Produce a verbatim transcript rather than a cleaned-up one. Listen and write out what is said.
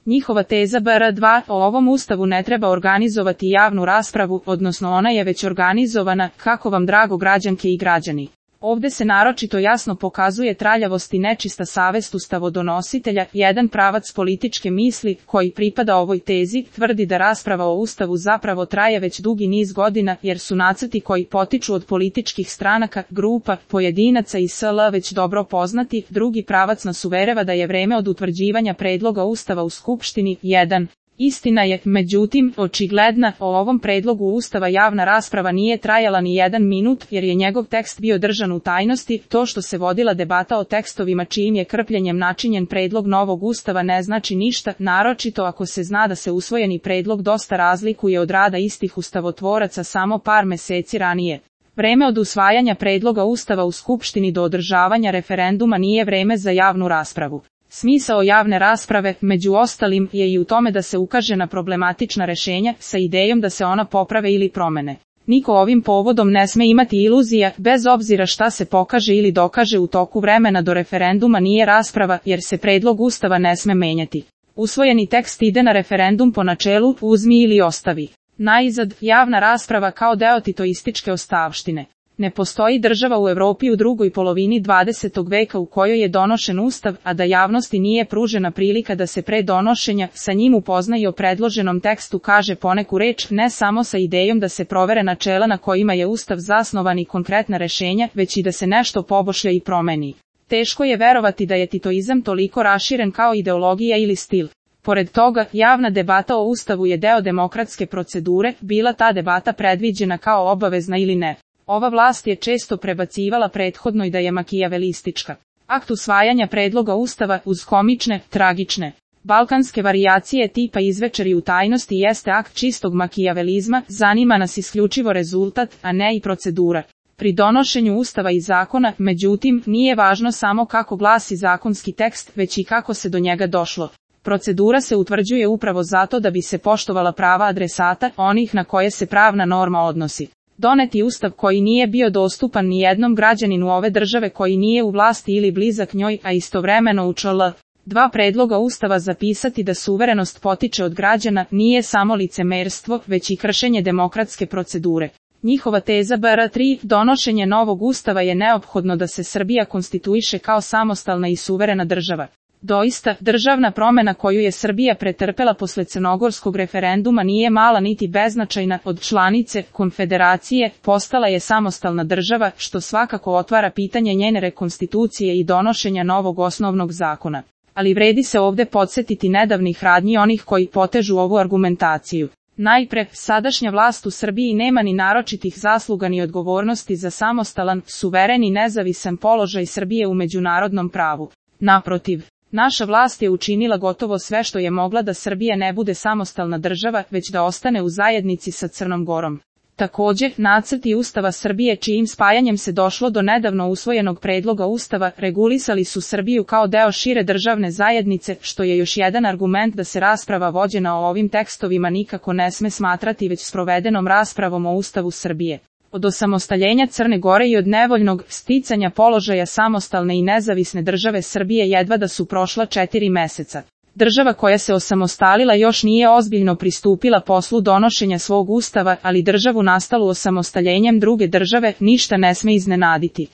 Njihova teza B R dva, o ovom ustavu ne treba organizovati javnu raspravu, odnosno ona je već organizovana, kako vam drago građanke i građani. Ovde se naročito jasno pokazuje traljavost i nečista savest ustavodonositelja. Jedan pravac političke misli, koji pripada ovoj tezi, tvrdi da rasprava o ustavu zapravo traje već dugi niz godina, jer su nacrti koji potiču od političkih stranaka, grupa, pojedinaca i sl. Već dobro poznati. Drugi pravac nas uverava da je vreme od utvrđivanja predloga ustava u Skupštini. jedan. Istina je, međutim, očigledna, o ovom predlogu ustava javna rasprava nije trajala ni jedan minut, jer je njegov tekst bio držan u tajnosti. To što se vodila debata o tekstovima čijim je krpljenjem načinjen predlog novog ustava ne znači ništa, naročito ako se zna da se usvojeni predlog dosta razlikuje od rada istih ustavotvoraca samo par meseci ranije. Vreme od usvajanja predloga ustava u Skupštini do održavanja referenduma nije vreme za javnu raspravu. Smisao javne rasprave, među ostalim, je i u tome da se ukaže na problematična rešenja, sa idejom da se ona poprave ili promene. Niko ovim povodom ne sme imati iluzija, bez obzira šta se pokaže ili dokaže u toku vremena do referenduma nije rasprava, jer se predlog ustava ne sme menjati. Usvojeni tekst ide na referendum po načelu, uzmi ili ostavi. Najzad, javna rasprava kao deo titoističke ostavštine. Ne postoji država u Evropi u drugoj polovini dvadesetog veka u kojoj je donošen ustav, a da javnosti nije pružena prilika da se pre donošenja sa njim upozna i o predloženom tekstu kaže poneku reč, ne samo sa idejom da se provere načela na kojima je ustav zasnovan i konkretna rešenja, već i da se nešto poboljša i promeni. Teško je verovati da je titoizam toliko raširen kao ideologija ili stil. Pored toga, javna debata o ustavu je deo demokratske procedure, bila ta debata predviđena kao obavezna ili ne. Ova vlast je često prebacivala prethodnoj da je makijavelistička. Akt usvajanja predloga ustava, uz komične, tragične, balkanske varijacije tipa izvečeri u tajnosti jeste akt čistog makijavelizma, zanima nas isključivo rezultat, a ne i procedura. Pri donošenju ustava i zakona, međutim, nije važno samo kako glasi zakonski tekst, već i kako se do njega došlo. Procedura se utvrđuje upravo zato da bi se poštovala prava adresata, onih na koje se pravna norma odnosi. Doneti ustav koji nije bio dostupan ni jednom građaninu ove države koji nije u vlasti ili blizak njoj, a istovremeno u čl. dva predloga ustava zapisati da suverenost potiče od građana, nije samo licemerstvo, već i kršenje demokratske procedure. Njihova teza B R tri, donošenje novog ustava je neophodno da se Srbija konstituiše kao samostalna i suverena država. Doista, državna promena koju je Srbija pretrpela posle crnogorskog referenduma nije mala niti beznačajna, od članice konfederacije postala je samostalna država, što svakako otvara pitanje njene rekonstitucije i donošenja novog osnovnog zakona. Ali vredi se ovde podsjetiti nedavnih radnji onih koji potežu ovu argumentaciju. Najpre, sadašnja vlast u Srbiji nema ni naročitih zasluga ni odgovornosti za samostalan, suveren i nezavisan položaj Srbije u međunarodnom pravu. Naprotiv, naša vlast je učinila gotovo sve što je mogla da Srbija ne bude samostalna država, već da ostane u zajednici sa Crnom Gorom. Takođe, nacrti Ustava Srbije čijim spajanjem se došlo do nedavno usvojenog predloga Ustava, regulisali su Srbiju kao deo šire državne zajednice, što je još jedan argument da se rasprava vođena o ovim tekstovima nikako ne sme smatrati već sprovedenom raspravom o Ustavu Srbije. Od osamostaljenja Crne Gore i od nevoljnog sticanja položaja samostalne i nezavisne države Srbije jedva da su prošla četiri meseca. Država koja se osamostalila još nije ozbiljno pristupila poslu donošenja svog ustava, ali državu nastalu osamostaljenjem druge države ništa ne sme iznenaditi.